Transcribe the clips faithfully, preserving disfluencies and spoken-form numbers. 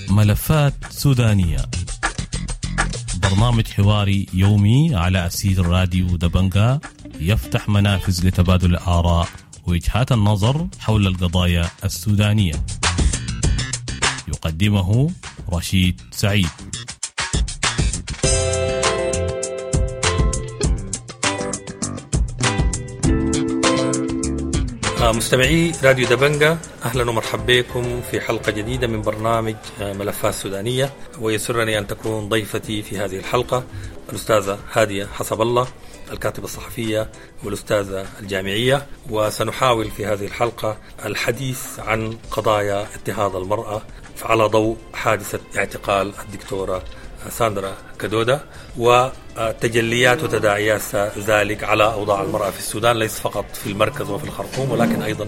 ملفات سودانية، برنامج حواري يومي على أثير راديو دبنقا، يفتح منافذ لتبادل الآراء ووجهات النظر حول القضايا السودانية. يقدمه رشيد سعيد. مستمعي راديو دبنقا، أهلا ومرحبا بكم في حلقة جديدة من برنامج ملفات سودانية، ويسرني أن تكون ضيفتي في هذه الحلقة الأستاذة هادية حسب الله، الكاتبة الصحفية والأستاذة الجامعية. وسنحاول في هذه الحلقة الحديث عن قضايا اضطهاد المرأة على ضوء حادثة اعتقال الدكتورة ساندرا كدودة وتجليات وتداعيات ذلك على أوضاع المرأة في السودان، ليس فقط في المركز وفي الخرطوم ولكن أيضا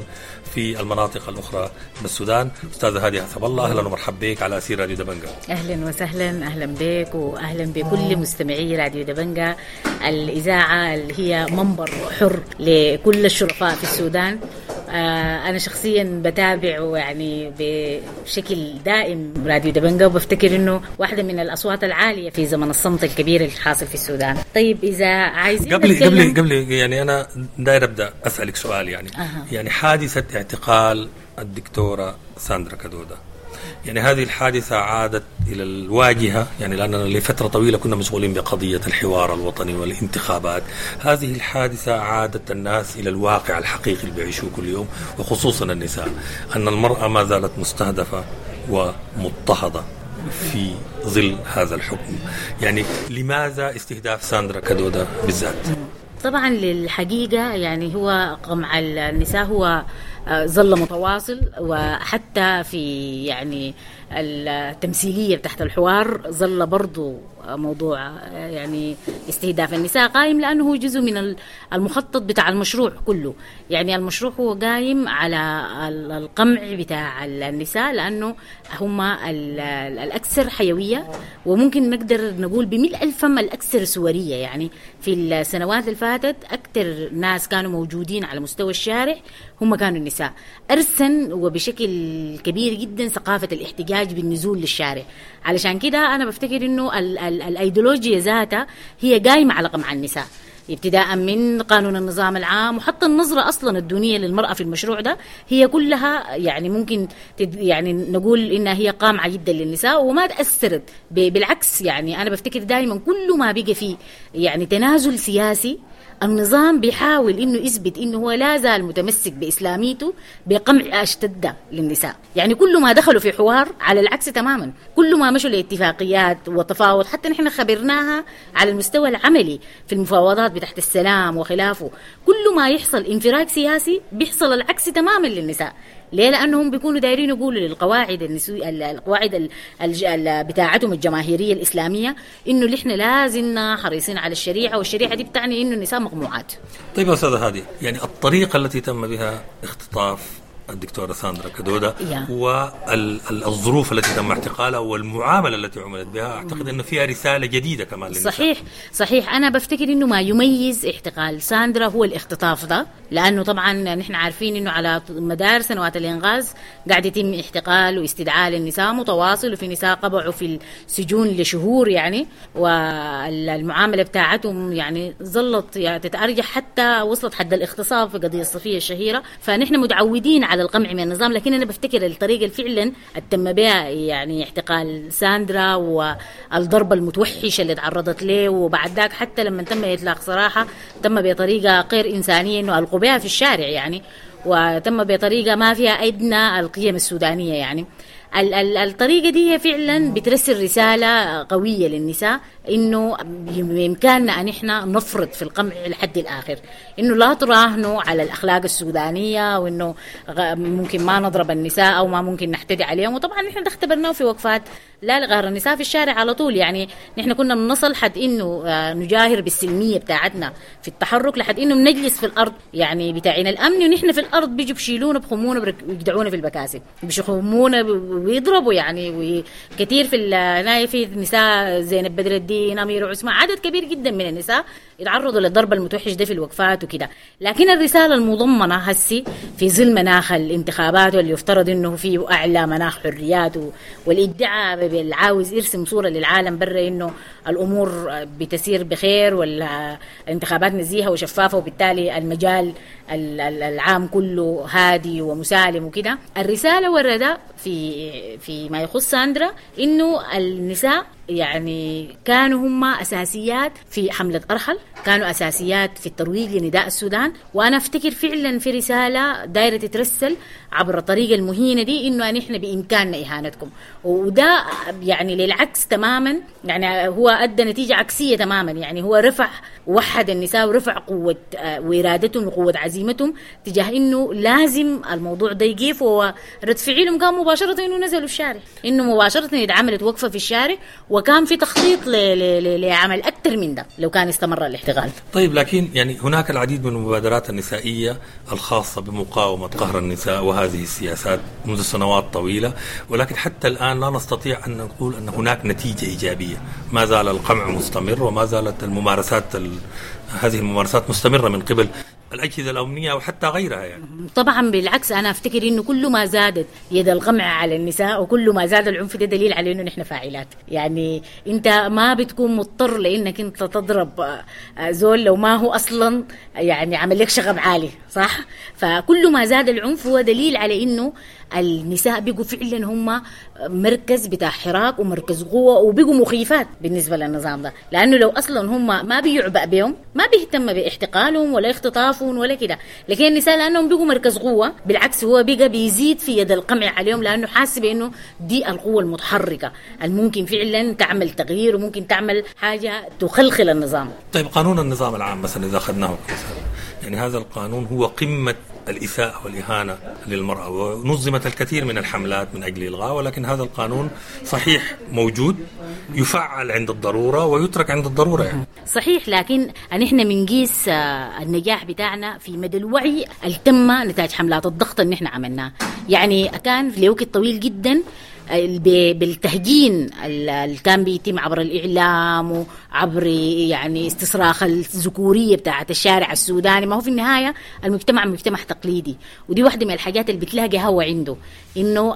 في المناطق الأخرى من السودان. أستاذة هادية حسب الله، أهلا ومرحبا بك على أثير راديو دبنقا. أهلا وسهلا، أهلا بك وأهلا بكل مستمعي راديو دبنقا، الإذاعة اللي هي منبر حر لكل الشرفاء في السودان. أنا شخصيا بتابع يعني بشكل دائم راديو دبنقا، وبفتكر إنه واحدة من الأصوات العالية في زمن الصمت الكبير الحاصل في السودان. طيب إذا عايزين قبل قبل قبل يعني أنا داير أبدأ أسألك سؤال، يعني أه. يعني حادثة اعتقال الدكتورة ساندرا كدودة، يعني هذه الحادثة عادت إلى الواجهة، يعني لأننا لفترة طويلة كنا مشغولين بقضية الحوار الوطني والانتخابات. هذه الحادثة عادت الناس إلى الواقع الحقيقي اللي بيعيشوه كل يوم، وخصوصا النساء، أن المرأة ما زالت مستهدفة ومضطهدة في ظل هذا الحكم. يعني لماذا استهداف ساندرا كدودة بالذات؟ طبعا للحقيقة يعني هو قمع النساء هو ظل متواصل، وحتى في يعني التمثيلية تحت الحوار ظل برضو موضوع يعني استهداف النساء قائم، لأنه هو جزء من المخطط بتاع المشروع كله. يعني المشروع هو قائم على القمع بتاع النساء، لأنه هم الأكثر حيوية، وممكن نقدر نقول بملء الفم الأكثر سورية. يعني في السنوات اللي فاتت أكثر ناس كانوا موجودين على مستوى الشارع هم كانوا النساء، أرسن وبشكل كبير جدا ثقافة الاحتجاج بالنزول للشارع. علشان كده أنا بفتكر إنه ال ال الأيديولوجيا ذاتها هي قايمة على قمع النساء، ابتداء من قانون النظام العام، وحتى النظرة أصلا الدونية للمرأة في المشروع ده هي كلها يعني ممكن تد يعني نقول إنها هي قامعة جدا للنساء وما تأثرت. بالعكس يعني أنا بفتكر دائما كل ما بقى فيه يعني تنازل سياسي، النظام بيحاول إنه يثبت إنه هو لا زال متمسك بإسلاميته بقمع أشتد للنساء. يعني كل ما دخلوا في حوار على العكس تماما، كل ما مشوا لاتفاقيات وتفاوض، حتى نحن خبرناها على المستوى العملي في المفاوضات بتحت السلام وخلافه، كل ما يحصل انفراج سياسي بيحصل العكس تماما للنساء. ليه؟ لأنهم بيكونوا دايرين يقولوا للقواعد النسوية، القواعد بتاعتهم الجماهيرية الإسلامية، إنه نحن لازلنا حريصين على الشريعة، والشريعة دي بتعني إنه النساء مقموعات. طيب يا أستاذة هادي، يعني الطريقة التي تم بها اختطاف الدكتورة ساندرا كدودة والظروف التي تم اعتقالها والمعاملة التي عملت بها، أعتقد أنه فيها رسالة جديدة كمان للنساء. صحيح صحيح، أنا بفتكر أنه ما يميز اعتقال ساندرا هو الاختطاف ده، لأنه طبعا نحن عارفين أنه على مدار سنوات الإنغاز قاعد يتم اعتقال واستدعاء للنساء متواصل، وفي نساء قبعوا في السجون لشهور يعني، والمعاملة بتاعتهم يعني ظلت يعني تتأرجح حتى وصلت حد الاغتصاب في قضية الصفية الشهيرة. فنحن متعودين على القمع من النظام، لكن أنا بفتكر الطريقة فعلا التم بها يعني اعتقال ساندرا والضربة المتوحشة اللي تعرضت له، وبعد ذاك حتى لما تم إطلاق سراحة تم بطريقة غير إنسانية إنه ألقوا بها في الشارع يعني، وتم بطريقة ما فيها أدنى القيم السودانية. يعني الطريقة دي هي فعلا بترسل رسالة قوية للنساء إنه بإمكاننا أن إحنا نفرض في القمع لحد الآخر، إنه لا تراهنوا على الأخلاق السودانية، وإنه ممكن ما نضرب النساء أو ما ممكن نحتدي عليهم. وطبعا نحن اختبرناه في وقفات لا لغير النساء في الشارع على طول، يعني نحن كنا بنصل حد إنه نجاهر بالسلمية بتاعتنا في التحرك، لحد إنه بنجلس في الأرض يعني بتاعين الأمن، ونحن في الأرض بيجوا بشيلونا بخمونا بيجدعونا في البكاسب، بيشخمونا ويضربوا يعني. وكثير في الناي في نساء زينب بدر الدين، أمير عثمان، عدد كبير جدا من النساء يتعرضوا للضرب المتوحش ده في الوقفات وكده. لكن الرسالة المضمنة هسي في ظل مناخ الانتخابات واللي يفترض إنه فيه أعلى مناخ حريات والادعاء بالعاوز يرسم صورة للعالم برا إنه الأمور بتسير بخير والانتخابات نزيهة وشفافة، وبالتالي المجال العام كله هادي ومسالم وكده. الرسالة وردة في في ما يخص ساندرا إنه النساء يعني كانوا هم أساسيات في حملة أرحل، كانوا أساسيات في الترويج لنداء السودان. وأنا أفتكر فعلا في رسالة دايرة تترسل عبر الطريقة المهينة دي إنه نحن بإمكاننا إهانتكم، وده يعني للعكس تماما، يعني هو أدى نتيجة عكسية تماما. يعني هو رفع وحد النساء ورفع قوة وإرادتهم وقوة عزيمتهم تجاه إنه لازم الموضوع ده يقف. ورد فعلهم كان مباشرة إنه نزلوا الشارع، إنه مباشرة اتعملت وقفة في الشارع، وكان في تخطيط لعمل أكثر من ده لو كان استمر الاحتغال. طيب، لكن يعني هناك العديد من المبادرات النسائية الخاصة بمقاومة قهر النساء وهذه السياسات منذ سنوات طويلة، ولكن حتى الآن لا نستطيع أن نقول أن هناك نتيجة إيجابية. ما زال القمع مستمر، وما زالت الممارسات ال... هذه الممارسات مستمرة من قبل الأجهزة الأمنية وحتى غيرها. يعني طبعا بالعكس، أنا أفتكر إنه كل ما زادت يد القمع على النساء وكل ما زاد العنف ده دليل على إنه نحن فاعلات. يعني أنت ما بتكون مضطر لإنك أنت تضرب زول لو ما هو أصلا يعني عمل لك شغب عالي، صح؟ فكل ما زاد العنف هو دليل على إنه النساء بيقوا فعلا هم مركز بتاع حراك ومركز قوة، وبيقوا مخيفات بالنسبة للنظام ده، لأنه لو أصلا هم ما بيعبأ بهم ما بيهتم باحتقالهم ولا اختطافهم ولا كده. لكن النساء لأنهم بيقوا مركز قوة، بالعكس هو بيقى بيزيد في يد القمع عليهم، لأنه حاسب إنه دي القوة المتحركة الممكن فعلا تعمل تغيير وممكن تعمل حاجة تخلخل النظام. طيب، قانون النظام العام مثلا إذا أخذناه كمثال، يعني هذا القانون هو قمة الإساءة والإهانة للمرأة، ونظمت الكثير من الحملات من أجل إلغائه، ولكن هذا القانون صحيح موجود، يفعل عند الضرورة ويترك عند الضرورة. يعني صحيح، لكن نحن بنقيس النجاح بتاعنا في مدى الوعي اللي تم نتاج حملات الضغط اللي نحن عملناه. يعني كان لوقت طويل جدا بالتهجين اللي كان بيتم عبر الإعلام وعبر يعني استصراخ الذكورية بتاعة الشارع السوداني. ما هو في النهاية المجتمع مجتمع تقليدي، ودي واحدة من الحاجات اللي بتلاقي هو عنده إنه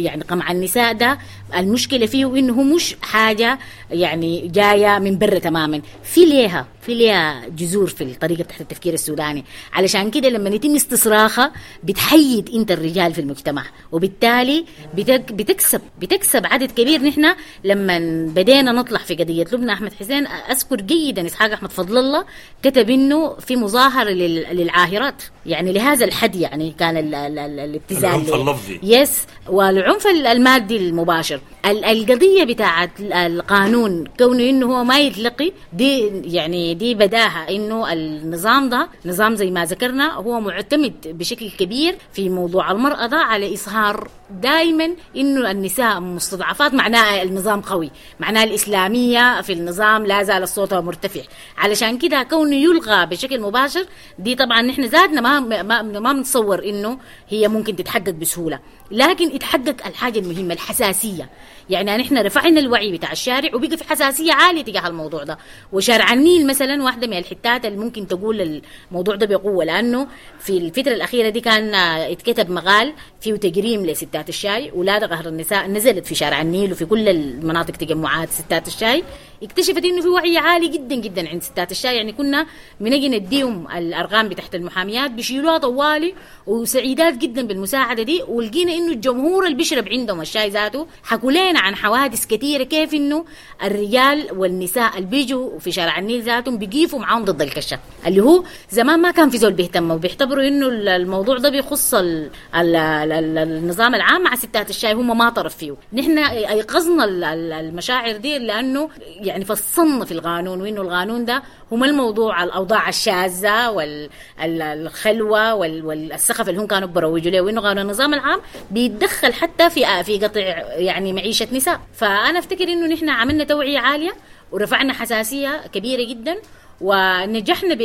يعني قمع النساء ده المشكلة فيه إنه هو مش حاجة يعني جاية من برا تماما، في ليها في ليها جذور في الطريقة تحت التفكير السوداني. علشان كده لما يتم استصراخها بتحيد انت الرجال في المجتمع، وبالتالي بتك بتكسب بتكسب عدد كبير. نحن لما بدينا نطلع في قضية لبنى أحمد حسين، أذكر جيدا إسحاق أحمد فضل الله كتب إنه في مظاهرة للعاهرات، يعني لهذا الحد يعني كان ال ال ال الابتزال العنف اللفظي، يس، والعنف المادي المباشر. القضية بتاعت القانون كونه إنه هو ما يتلقي دي، يعني دي بداهة إنه النظام ده نظام زي ما ذكرنا هو معتمد بشكل كبير في موضوع المرأة ده على إظهار دائما إنه النساء مستضعفات، معناها النظام قوي، معناها الإسلامية في النظام لا زال الصوت مرتفع. علشان كده كونه يلغى بشكل مباشر دي طبعا نحن زادنا ما ما ما بنتصور إنه هي ممكن تتحقق بسهولة، لكن اتحقق الحاجة المهمة الحساسية. يعني نحن رفعنا الوعي بتاع الشارع وبقى في حساسية عالية تجاه الموضوع ده. وشارع النيل مثلا واحدة من الحتات اللي ممكن تقول الموضوع ده بقوة، لأنه في الفترة الأخيرة دي كان اتكتب مقال فيه تجريم لستات الشاي، ولادة قهر النساء نزلت في شارع النيل وفي كل المناطق تجمعات ستات الشاي. اكتشفت انه في وعي عالي جدا جدا عند ستات الشاي، يعني كنا بنجي نديهم الارقام بتاعت المحاميات بيشيلوها طوالي وسعيدات جدا بالمساعده دي. ولقينا انه الجمهور اللي بيشرب عندهم الشاي ذاته حكوا لنا عن حوادث كثيرة كيف انه الرجال والنساء اللي بيجوا في شارع النيل ذاتهم بيقيفوا معاهم ضد الكشه، اللي هو زمان ما كان في زول بيهتم وبيعتبروا انه الموضوع ده بيخص ال ال ال النظام العام مع ستات الشاي، هم ما طرف فيه. نحن ايقظنا المشاعر دي لانه يعني فصلنا في القانون، وإنه القانون ده هم الموضوع الأوضاع الشاذة والخلوة والسخف اللي هم كانوا بروجوا له، وإنه قانون النظام العام بيتدخل حتى في في قطع يعني معيشة نساء. فأنا أفتكر إنه نحن عملنا توعية عالية ورفعنا حساسية كبيرة جدا، ونجحنا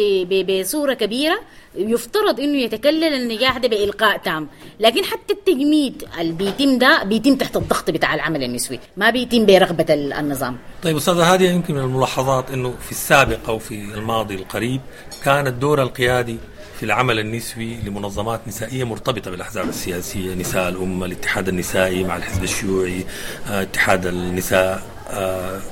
بصورة كبيرة. يفترض انه يتكلل النجاح ده بإلقاء تام، لكن حتى التجميد اللي بيتم ده بيتم تحت الضغط بتاع العمل النسوي، ما بيتم برغبة النظام. طيب أستاذة هادية، يمكن من الملاحظات انه في السابق او في الماضي القريب كان الدور القيادي في العمل النسوي لمنظمات نسائية مرتبطة بالأحزاب السياسية، نساء الأمة، الاتحاد النسائي مع الحزب الشيوعي، اتحاد النساء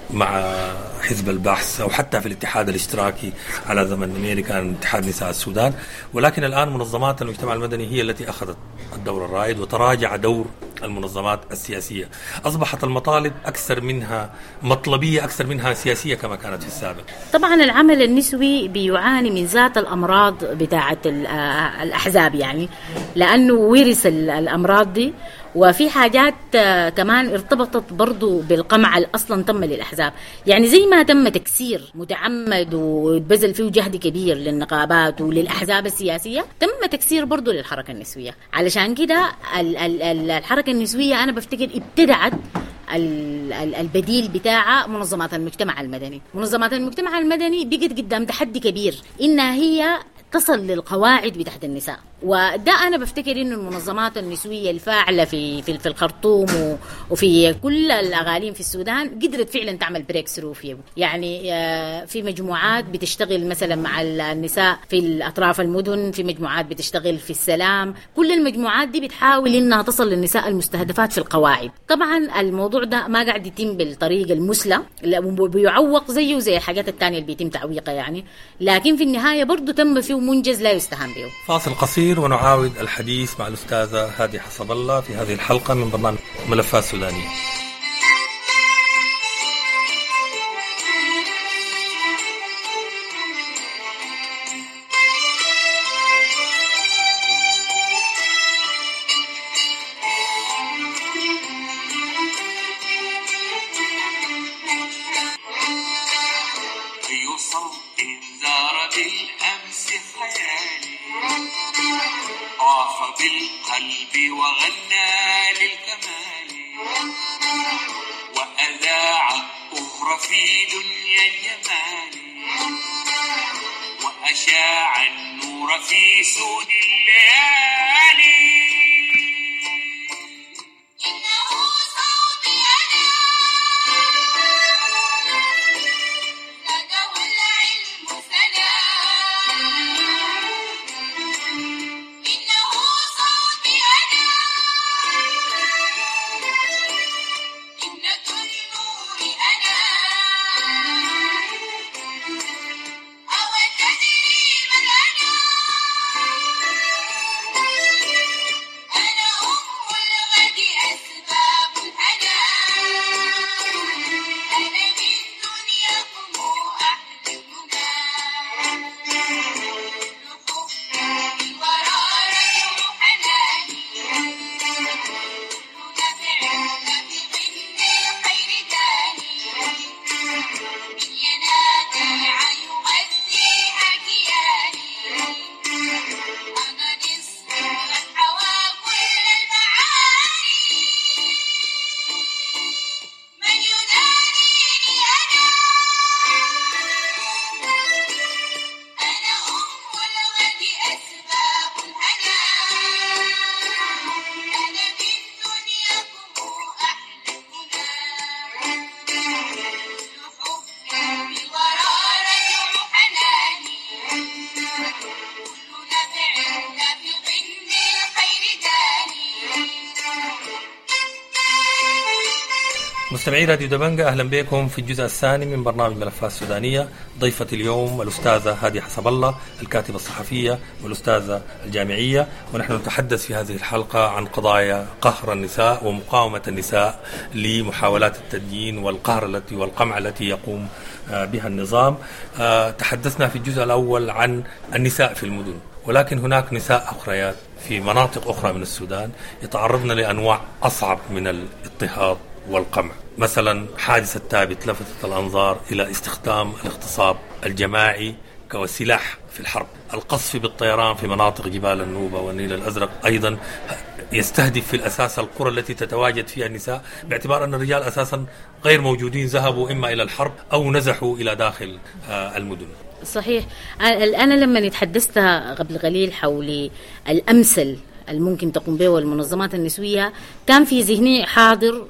مع حزب البحث، أو حتى في الاتحاد الاشتراكي على زمن نميري كان اتحاد نساء السودان. ولكن الآن منظمات المجتمع المدني هي التي أخذت الدور الرائد وتراجع دور المنظمات السياسية. أصبحت المطالب أكثر منها مطلبية أكثر منها سياسية كما كانت في السابق. طبعا العمل النسوي بيعاني من ذات الأمراض بتاعة الأحزاب، يعني لأنه ورث الأمراض دي، وفي حاجات كمان ارتبطت برضو بالقمع اللي أصلا تم للأحزاب. يعني زي ما تم تكسير متعمد وبذل فيه جهد كبير للنقابات وللأحزاب السياسية، تم تكسير برضو للحركة النسوية. علشان كده الحركة النسوية أنا بفتكر ابتدعت البديل بتاعها منظمات المجتمع المدني. منظمات المجتمع المدني بقت قدام تحدي كبير إنها هي تصل للقواعد بتاعت النساء، وده أنا بفتكر إنه المنظمات النسوية الفاعلة في في, في الخرطوم وفي كل الأغاليم في السودان قدرت فعلا تعمل breakthrough فيه. يعني في مجموعات بتشتغل مثلا مع النساء في الأطراف المدن، في مجموعات بتشتغل في السلام، كل المجموعات دي بتحاول إنها تصل للنساء المستهدفات في القواعد. طبعا الموضوع ده ما قاعد يتم بالطريقة المثلى، بيعوق زيه زي الحاجات التانية اللي بيتم تعويقها يعني، لكن في النهاية برضو تم فيه منجز لا يستهان به. فاصل قصير ونعاود الحديث مع الأستاذة هادية حسب الله في هذه الحلقة من برنامج ملفات سودانية. بالقلب وغنى للكمال وأذاع الطهر في دنيا الجمال وأشاع النور في سود الليالي. إنه صوتي أنا زاده العلم سنا، إنه صوتي أنا ابنة النور أنا، أو تدري من أنا؟ أنا أم الغد أسباب الهنا، أنا من دنياكم أحلمنا، كل حب الورى رجع حناني، كل نبع نبع للخير داني، من ينابيع يغذيها كياني، أنا نصف من حوى كل المعاني، من يدانيني أنا؟ أنا أم الغد أسباب الهنا، أنا من دنياكم أحلمنا، كل حب الورى رجع حناني، كل نبع نبع للخير داني. مستمعي راديو دبنجة، أهلا بكم في الجزء الثاني من برنامج ملفات سودانية. ضيفة اليوم الأستاذة هادية حسب الله، الكاتبة الصحفية والأستاذة الجامعية، ونحن نتحدث في هذه الحلقة عن قضايا قهر النساء ومقاومة النساء لمحاولات التدجين والقهر التي والقمع التي يقوم بها النظام. تحدثنا في الجزء الأول عن النساء في المدن، ولكن هناك نساء أخريات في مناطق أخرى من السودان يتعرضن لأنواع أصعب من الاضطهاد والقمع. مثلا حادثة ثابت لفتت الأنظار إلى استخدام الاغتصاب الجماعي كسلاح في الحرب. القصف بالطيران في مناطق جبال النوبة والنيل الأزرق أيضا يستهدف في الأساس القرى التي تتواجد فيها النساء، باعتبار أن الرجال أساسا غير موجودين، ذهبوا إما إلى الحرب أو نزحوا إلى داخل المدن. صحيح. أنا لما تحدثت قبل قليل حول الأمثل الممكن تقوم به المنظمات النسوية، كان في ذهني حاضر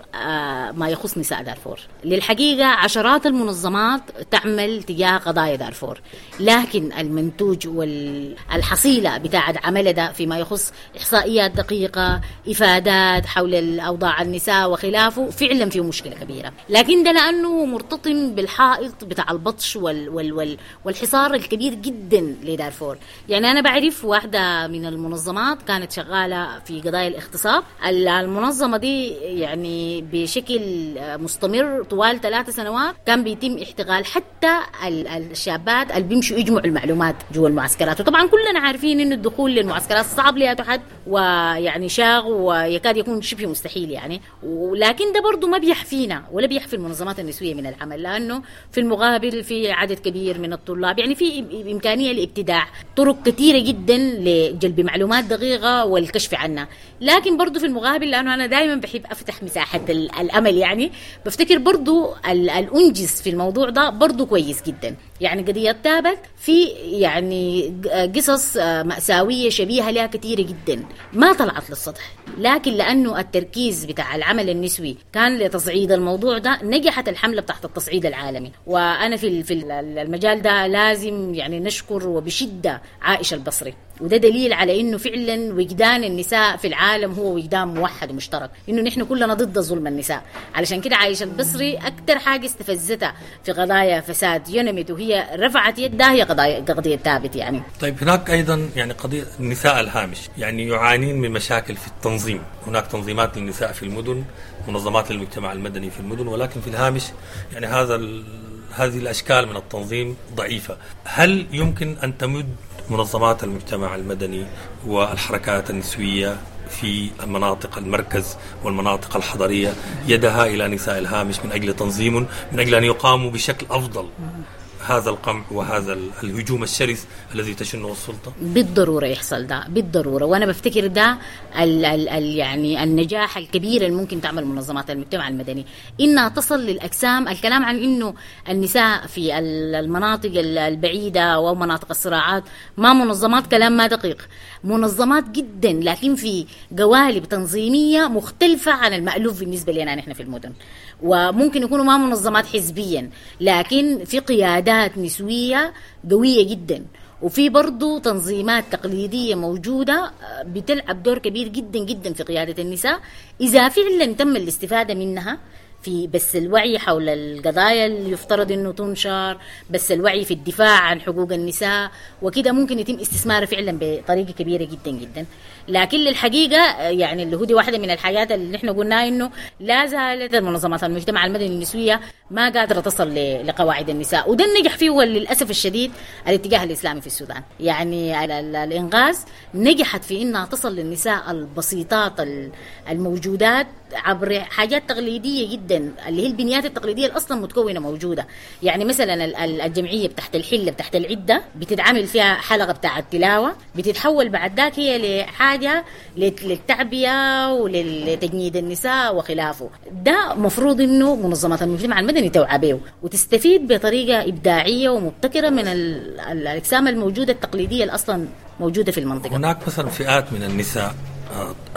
ما يخص نساء دارفور. للحقيقة عشرات المنظمات تعمل تجاه قضايا دارفور، لكن المنتوج والحصيلة بتاعة عمل ده فيما يخص إحصائيات دقيقة، إفادات حول الأوضاع النساء وخلافه، فعلا فيه مشكلة كبيرة. لكن ده لأنه مرتطم بالحائط بتاع البطش وال وال وال والحصار الكبير جدا لدارفور. يعني أنا بعرف واحدة من المنظمات كانت شغالة في قضايا الاغتصاب. المنظمة دي يعني بشكل مستمر طوال ثلاث سنوات كان بيتم احتغال حتى الشابات اللي بيمشوا يجمعوا المعلومات جوا المعسكرات. وطبعا كلنا عارفين انه الدخول للمعسكرات صعب لأي حد، ويعني شاغ ويكاد يكون شبه مستحيل يعني. ولكن ده برضو ما بيحفينا ولا بيحفي المنظمات النسوية من العمل، لأنه في المقابل في عدد كبير من الطلاب، يعني في إمكانية لابتداع طرق كثيرة جدا لجلب معلومات دقيقة والكشف عنها. لكن برضو في المقابل، لأنه أنا دائما بحب أفتح مساحة الأمل، يعني بفتكر برضو الأنجز في الموضوع ده برضو كويس جدا. يعني قضية تابت في يعني قصص مأساوية شبيهة لها كثيرة جدا ما طلعت للسطح، لكن لأنه التركيز بتاع العمل النسوي كان لتصعيد الموضوع ده نجحت الحملة بتاعت التصعيد العالمي. وأنا في في المجال ده لازم يعني نشكر وبشدة عائشة البصري، وده دليل على إنه فعلا وجدان النساء في العالم هو وجدان موحد ومشترك، إنه نحن كلنا ضد ظلم النساء. علشان كده عائشة البصري أكتر حاجة استفزتها في قضايا فساد يونمت وهي رفعت يدها هي قضايا قضية ثابت يعني. طيب هناك أيضا يعني قضية النساء الهامش، يعني يعانين من مشاكل في التنظيم. هناك تنظيمات للنساء في المدن، منظمات للمجتمع المدني في المدن، ولكن في الهامش يعني هذا ال... هذه الأشكال من التنظيم ضعيفة. هل يمكن أن تمد منظمات المجتمع المدني والحركات النسوية في مناطق المركز والمناطق الحضرية يدها إلى نساء الهامش من أجل تنظيم، من أجل أن يقاموا بشكل أفضل هذا القمع وهذا الهجوم الشرس الذي تشنه السلطة؟ بالضرورة يحصل ده، بالضرورة. وأنا بفتكر ده ال ال ال يعني النجاح الكبير اللي ممكن تعمل منظمات المجتمع المدني، إنها تصل للأجسام. الكلام عن إنه النساء في المناطق البعيدة ومناطق الصراعات ما منظمات، كلام ما دقيق. منظمات جدا، لكن في قوالب تنظيمية مختلفة عن المألوف بالنسبة لنا نحن في المدن. وممكن يكونوا ما منظمات حزبيا، لكن في قيادات نسوية قوية جدا، وفي برضو تنظيمات تقليدية موجودة بتلعب دور كبير جدا جدا في قيادة النساء إذا فعلا تم الاستفادة منها في بس الوعي حول القضايا اللي يفترض انه تنشر، بس الوعي في الدفاع عن حقوق النساء وكده، ممكن يتم استثماره فعلا بطريقة كبيرة جدا جدا. لكن للحقيقة يعني اللي هو دي واحدة من الحاجات اللي نحن قلنا انه لا زالت المنظمات المجتمع المدني النسوية ما قادرة تصل لقواعد النساء، وده النجح فيه هو للاسف الشديد الاتجاه الاسلامي في السودان. يعني الانغاز نجحت في انها تصل للنساء البسيطات الموجودات عبر حاجات تقليدية جدا اللي هي البنيات التقليدية اللي اصلا متكونه موجودة. يعني مثلا الجمعية بتاعت الحلة بتاعت العدة بتتعمل فيها حلقة بتاعت تلاوة، بتتحول بعد ذاك هي لحاجة للتعبئه ولتجنيد النساء وخلافه. ده مفروض انه منظمات المجتمع المدني توعى به وتستفيد بطريقة ابداعية ومبتكره من الاجسام الموجودة التقليدية اللي اصلا موجودة في المنطقة. هناك مثلا فئات من النساء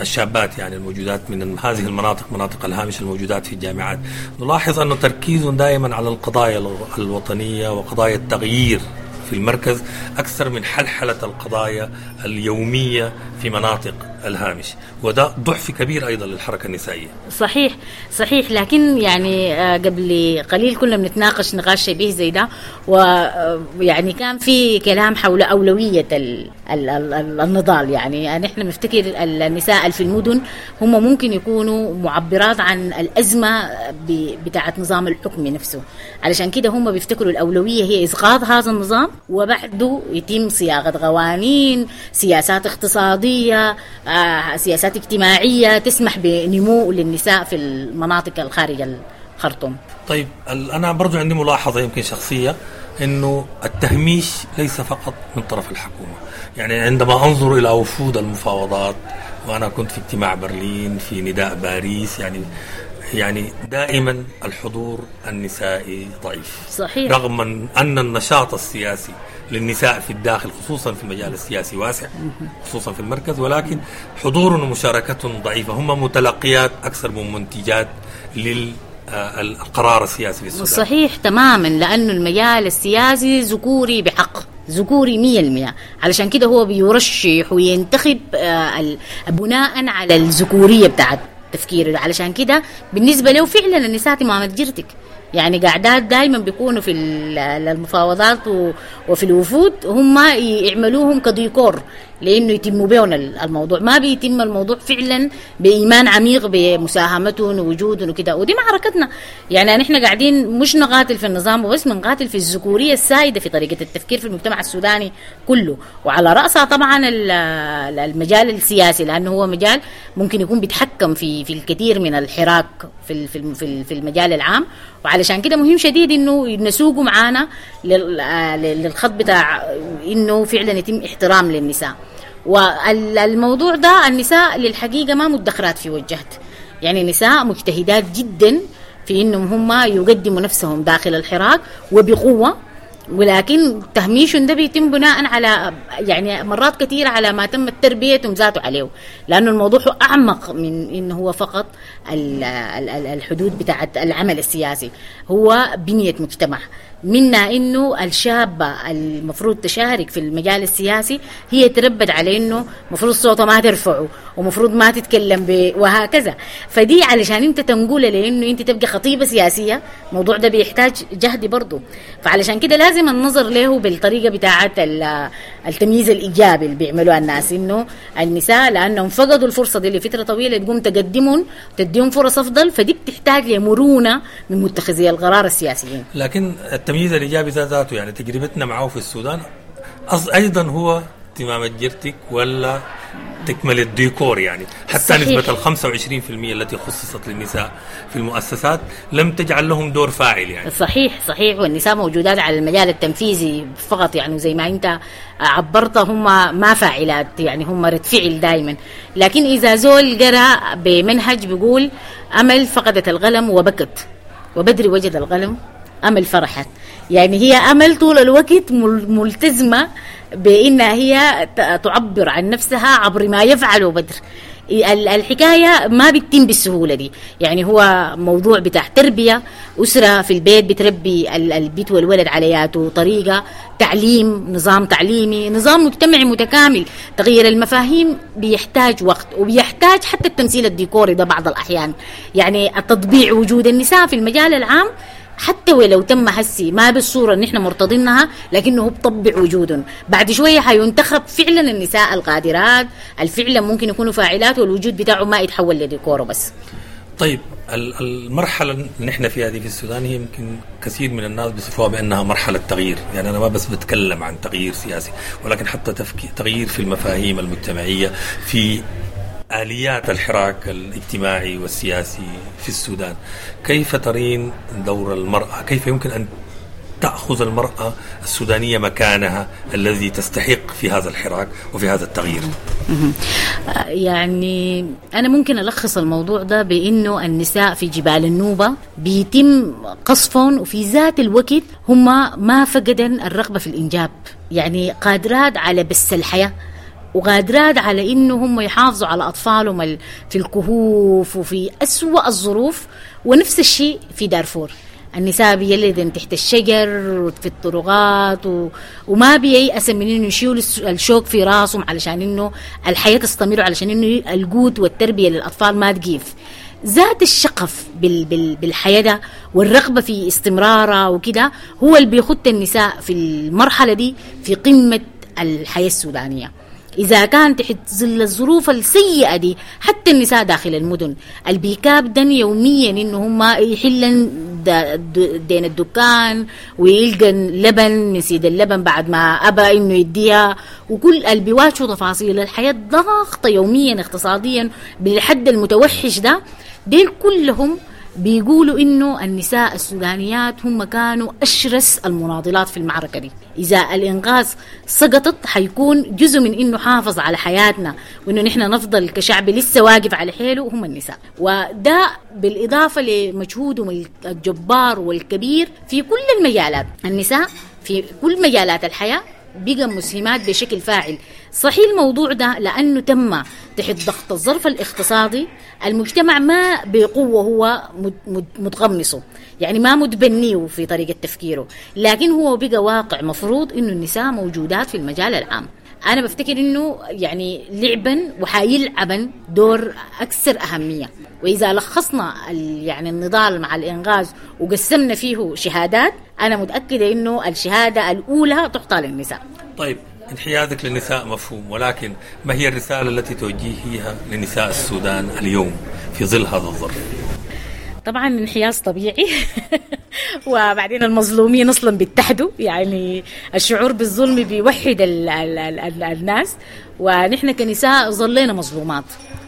الشابات يعني الموجودات من هذه المناطق، مناطق الهامش الموجودات في الجامعات، نلاحظ أنه تركيزهم دائما على القضايا الوطنية وقضايا التغيير في المركز أكثر من حلحلة القضايا اليومية في مناطق الهامش، وده ضعف كبير أيضا للحركة النسائية. صحيح صحيح، لكن يعني قبل قليل كنا بنتناقش نقاش شبيه زي ده، ويعني كان في كلام حول أولوية ال ال ال النضال. يعني نحن نفتكر النساء في المدن هم ممكن يكونوا معبرات عن الأزمة بتاعة نظام الحكم نفسه، علشان كده هم بيفتكروا الأولوية هي إسقاط هذا النظام، وبعده يتم صياغة قوانين، سياسات اقتصادية، سياسات اجتماعية تسمح بنمو للنساء في المناطق الخارج الخرطوم. طيب أنا برضو عندي ملاحظة يمكن شخصية، أنه التهميش ليس فقط من طرف الحكومة. يعني عندما أنظر إلى وفود المفاوضات، وأنا كنت في اجتماع برلين، في نداء باريس، يعني يعني دائما الحضور النسائي ضعيف. صحيح. رغم أن النشاط السياسي للنساء في الداخل خصوصا في المجال السياسي واسع، خصوصا في المركز، ولكن حضور ومشاركة ضعيفة. هم متلقيات أكثر من منتجات للقرار السياسي في السودان. صحيح تماما، لأنه المجال السياسي ذكوري بحق، ذكوري مية المية، علشان كده هو بيرشح وينتخب بناء على الذكورية بتاعت تفكيره. علشان كده بالنسبة له فعلا النساء تمامة جرتك، يعني قاعدات دايما بيكونوا في المفاوضات وفي الوفود، هم يعملوهم كديكور لانه يتموا بهم الموضوع. ما بيتم الموضوع فعلا بايمان عميق بمساهمتهم ووجودهم وكده. ودي معركتنا، يعني نحن قاعدين مش نقاتل في النظام وبس، بنقاتل في الذكورية السائدة في طريقه التفكير في المجتمع السوداني كله، وعلى راسها طبعا المجال السياسي، لانه هو مجال ممكن يكون بيتحكم في في الكثير من الحراك في في في المجال العام. وعلشان كده مهم شديد انه نسوقه معانا للخط بتاع انه فعلا يتم احترام للنساء. والموضوع ده النساء للحقيقة ما مدخرات في وجهت، يعني نساء مجتهدات جدا في انهم هم يقدموا نفسهم داخل الحراك وبقوة، ولكن تهميشهم ده بيتم بناء على يعني مرات كثيرة على ما تم تربيتهم ذاته عليه، لأنه الموضوع أعمق من إنه هو فقط الحدود بتاعة العمل السياسي، هو بنية مجتمع. منا إنه الشابة المفروض تشارك في المجال السياسي هي تربت على إنه مفروض صوتها ما ترفعه ومفروض ما تتكلم ب وهكذا. فدي علشان أنت تنقله لأنه أنت تبقى خطيبة سياسية، الموضوع ده بيحتاج جهد برضه. فعلشان كده لازم النظر له بالطريقة بتاعة التمييز الإيجابي اللي بيعملوها الناس، إنه النساء لأنهم فقدوا الفرصة دي لفترة طويلة تقوم تقدمهم تديهم فرص أفضل، فدي بتحتاج لمرونة من متخذي القرار السياسيين. لكن التمييز الإيجابي ذاته يعني تجربتنا معه في السودان أيضا هو تمام جرتك ولا تكمل الديكور، يعني حتى صحيح. نسبة الخمسة وعشرين في المية التي خصصت للنساء في المؤسسات لم تجعل لهم دور فاعل يعني. صحيح صحيح، والنساء موجودات على المجال التنفيذي فقط، يعني زي ما أنت عبرت هم ما فاعلات، يعني هم رد فعل دائما. لكن إذا زول قرأ بمنهج بيقول أمل فقدت القلم وبكت، وبدري وجد القلم أمل فرحت، يعني هي أمل طول الوقت ملتزمة بأنها هي تعبر عن نفسها عبر ما يفعله بدر. الحكاية ما بتتم بالسهولة دي، يعني هو موضوع بتاع تربية أسرة في البيت بتربي البيت والولد علياته، طريقة تعليم، نظام تعليمي، نظام مجتمعي متكامل. تغيير المفاهيم بيحتاج وقت، وبيحتاج حتى التمثيل الديكوري ده بعض الأحيان، يعني التطبيع وجود النساء في المجال العام حتى ولو تم هسي ما بالصورة اللي نحن مرتضينها، لكنه بطبع وجودهم. بعد شوية حينتخب فعلا النساء القادرات الفعلا ممكن يكونوا فاعلات، والوجود بتاعه ما يتحول لديكور بس. طيب المرحلة اللي نحن فيها دي في السودان هي يمكن كثير من الناس بيصفوها بأنها مرحلة تغيير، يعني أنا ما بس بتكلم عن تغيير سياسي، ولكن حتى تغيير في المفاهيم المجتمعية، في آليات الحراك الاجتماعي والسياسي في السودان. كيف ترين دور المرأة؟ كيف يمكن أن تأخذ المرأة السودانية مكانها الذي تستحق في هذا الحراك وفي هذا التغيير؟ يعني أنا ممكن ألخص الموضوع ده بأنه النساء في جبال النوبة بيتم قصفهم، وفي ذات الوقت هم ما فقدن الرغبة في الإنجاب، يعني قادرات على بس الحياة، وقادرات على إنه هم يحافظوا على أطفالهم في الكهوف وفي أسوأ الظروف. ونفس الشيء في دارفور، النساء بيلدن تحت الشجر وفي الطرقات و... وما بييأس من إنه يشيلوا الشوك في راسهم علشان إنه الحياة تستمر، علشان إنه القوت والتربية للأطفال ما تقيف. ذات الشقف بال... بال... بالحياة ده والرغبة في استمرارها وكده هو اللي بيخط النساء في المرحلة دي في قمة الحياة السودانية. إذا كان تحت ظل الظروف السيئة دي حتى النساء داخل المدن البيكابدن يوميا إنه هم يحلن دين الدكان ويلقن لبن من سيد اللبن بعد ما أبى إنه يديها، وكل اللي بيواجهوا تفاصيل الحياة ضاغطة يوميا اقتصاديا بالحد المتوحش ده، ديل كلهم بيقولوا إنه النساء السودانيات هم كانوا أشرس المناضلات في المعركة دي. إذا الإنقاذ سقطت حيكون جزء من إنه حافظ على حياتنا وإنه نحن نفضل كشعب لسه واقف على حيله هم النساء. وده بالإضافة لمجهودهم الجبار والكبير في كل المجالات. النساء في كل مجالات الحياة بقى مسهمات بشكل فاعل. صحيح الموضوع ده لأنه تم تحت ضغط الظرف الاقتصادي، المجتمع ما بقوة هو متغمصه، يعني ما متبنيه في طريقة تفكيره، لكن هو بقى واقع مفروض إنه النساء موجودات في المجال العام. أنا بفتكر إنه يعني لعبا وحيلعبا دور أكثر أهمية. وإذا لخصنا يعني النضال مع الإنغاز وقسمنا فيه شهادات، أنا متأكدة إنه الشهادة الأولى تعطى للنساء. طيب، انحيازك للنساء مفهوم، ولكن ما هي الرسالة التي توجهيها لنساء السودان اليوم في ظل هذا الظرف؟ طبعا انحياز طبيعي وبعدين المظلومين اصلا بيتحدوا، يعني الشعور بالظلم بيوحد ال ال ال الناس. ونحن كنساء ظلينا مظلومات،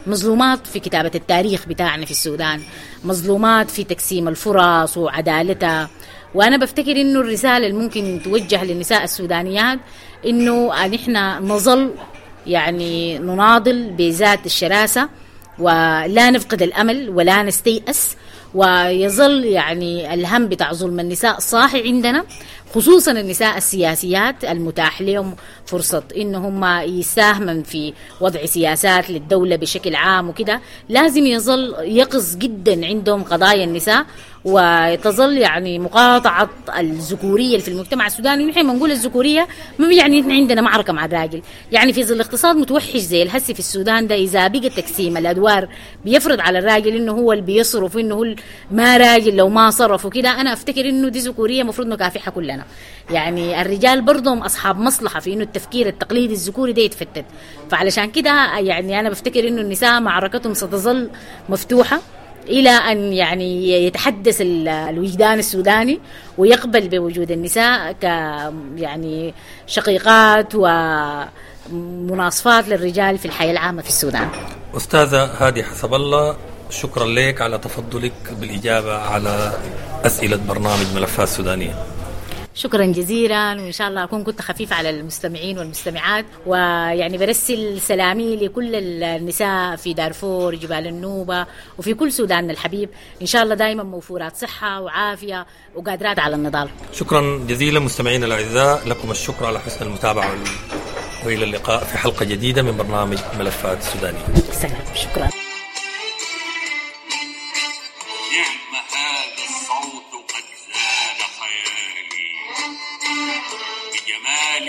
مظلومات في كتابة التاريخ بتاعنا في السودان، مظلومات في تقسيم الفرص وعدالتها. وأنا بفتكر إنه الرسالة اللي ممكن توجه للنساء السودانيات إنه نحن نظل يعني نناضل بذات الشراسة ولا نفقد الأمل ولا نستيأس، ويظل يعني الهم بتاع ظلم النساء صاحي عندنا، خصوصا النساء السياسيات المتاح لهم فرصة إن هم يساهمن في وضع سياسات للدولة بشكل عام وكده. لازم يظل يقظ جدا عندهم قضايا النساء، وتظل يعني مقاطعة الذكورية في المجتمع السوداني. نحن ما نقول الذكورية ما يعني نحن عندنا معركة مع الراجل، يعني في ظل اقتصاد متوحش زي الهسي في السودان ده، إذا بقى تقسيم الأدوار بيفرض على الراجل إنه هو اللي بيصرف وإنه هو ما راجل لو ما صرف وكده، أنا أفتكر إنه دي ذكورية مفروض نكافحها كلنا. يعني الرجال برضهم أصحاب مصلحة في إنه التفكير التقليدي الذكوري ده يتفتت. فعلشان كده يعني أنا بفتكر إنه النساء معركتهم ستظل مفتوحة إلى أن يعني يتحدث الوجدان السوداني ويقبل بوجود النساء ك يعني شقيقات ومناصفات للرجال في الحياة العامة في السودان. أستاذة هادي حسب الله، شكرا لك على تفضلك بالإجابة على أسئلة برنامج ملفات سودانية. شكرا جزيلا، وإن شاء الله أكون كنت خفيفة على المستمعين والمستمعات. ويعني برسل سلامي لكل النساء في دارفور، جبال النوبة، وفي كل سوداننا الحبيب. إن شاء الله دائما موفورات صحة وعافية وقادرات على النضال. شكرا جزيلا مستمعينا الأعزاء، لكم الشكر على حسن المتابعة، وإلى اللقاء في حلقة جديدة من برنامج ملفات سودانية. سلام، شكرا. نعم هذا الصوت قد زاد خيالي بجمال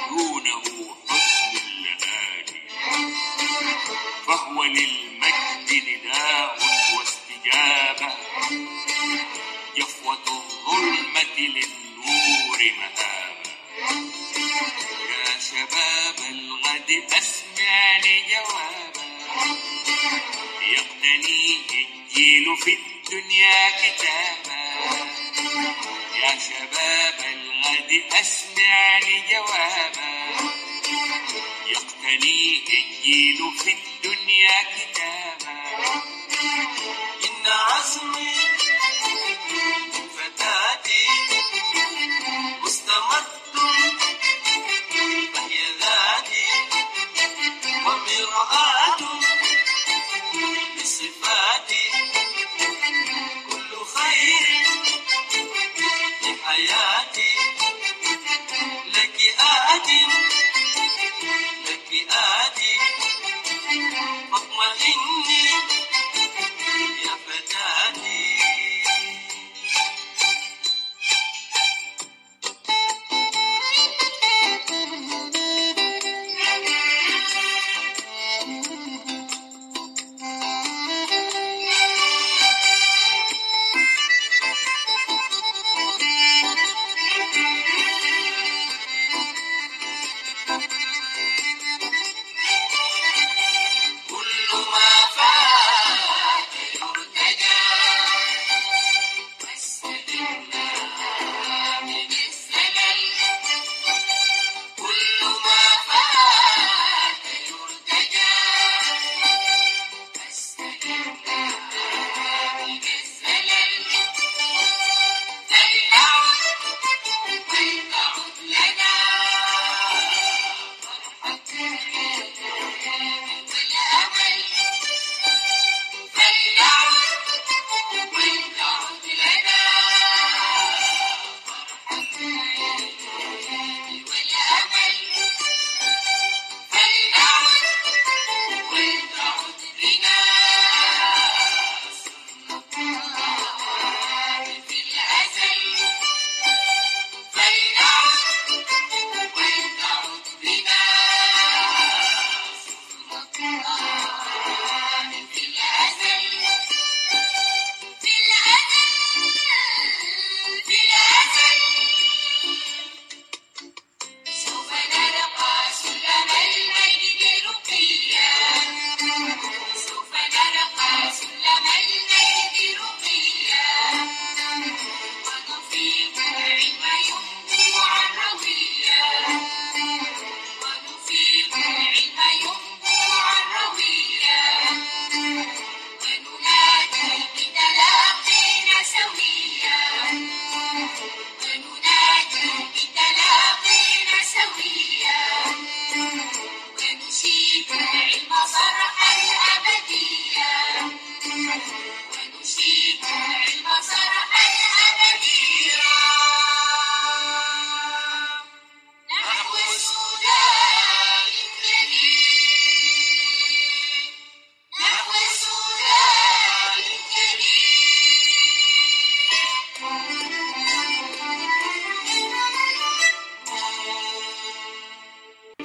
دونه حسن اللآلي، فهو للمجد نداء واستجابة، جفوة الظلمة للنور مهابة. يا شباب الغد أسمعني جوابا، يقتنيه الجيل في الدنيا كتابا. يا شباب الغد أسمعني جوابا، يقتنيه الجيل في الدنيا كتابا. إن عزمي فتاتي مستمد، فهي ذاتي ومرآة لصفاتي، كل خير لحياتي لك آتي، لك آتي، فاطمئن.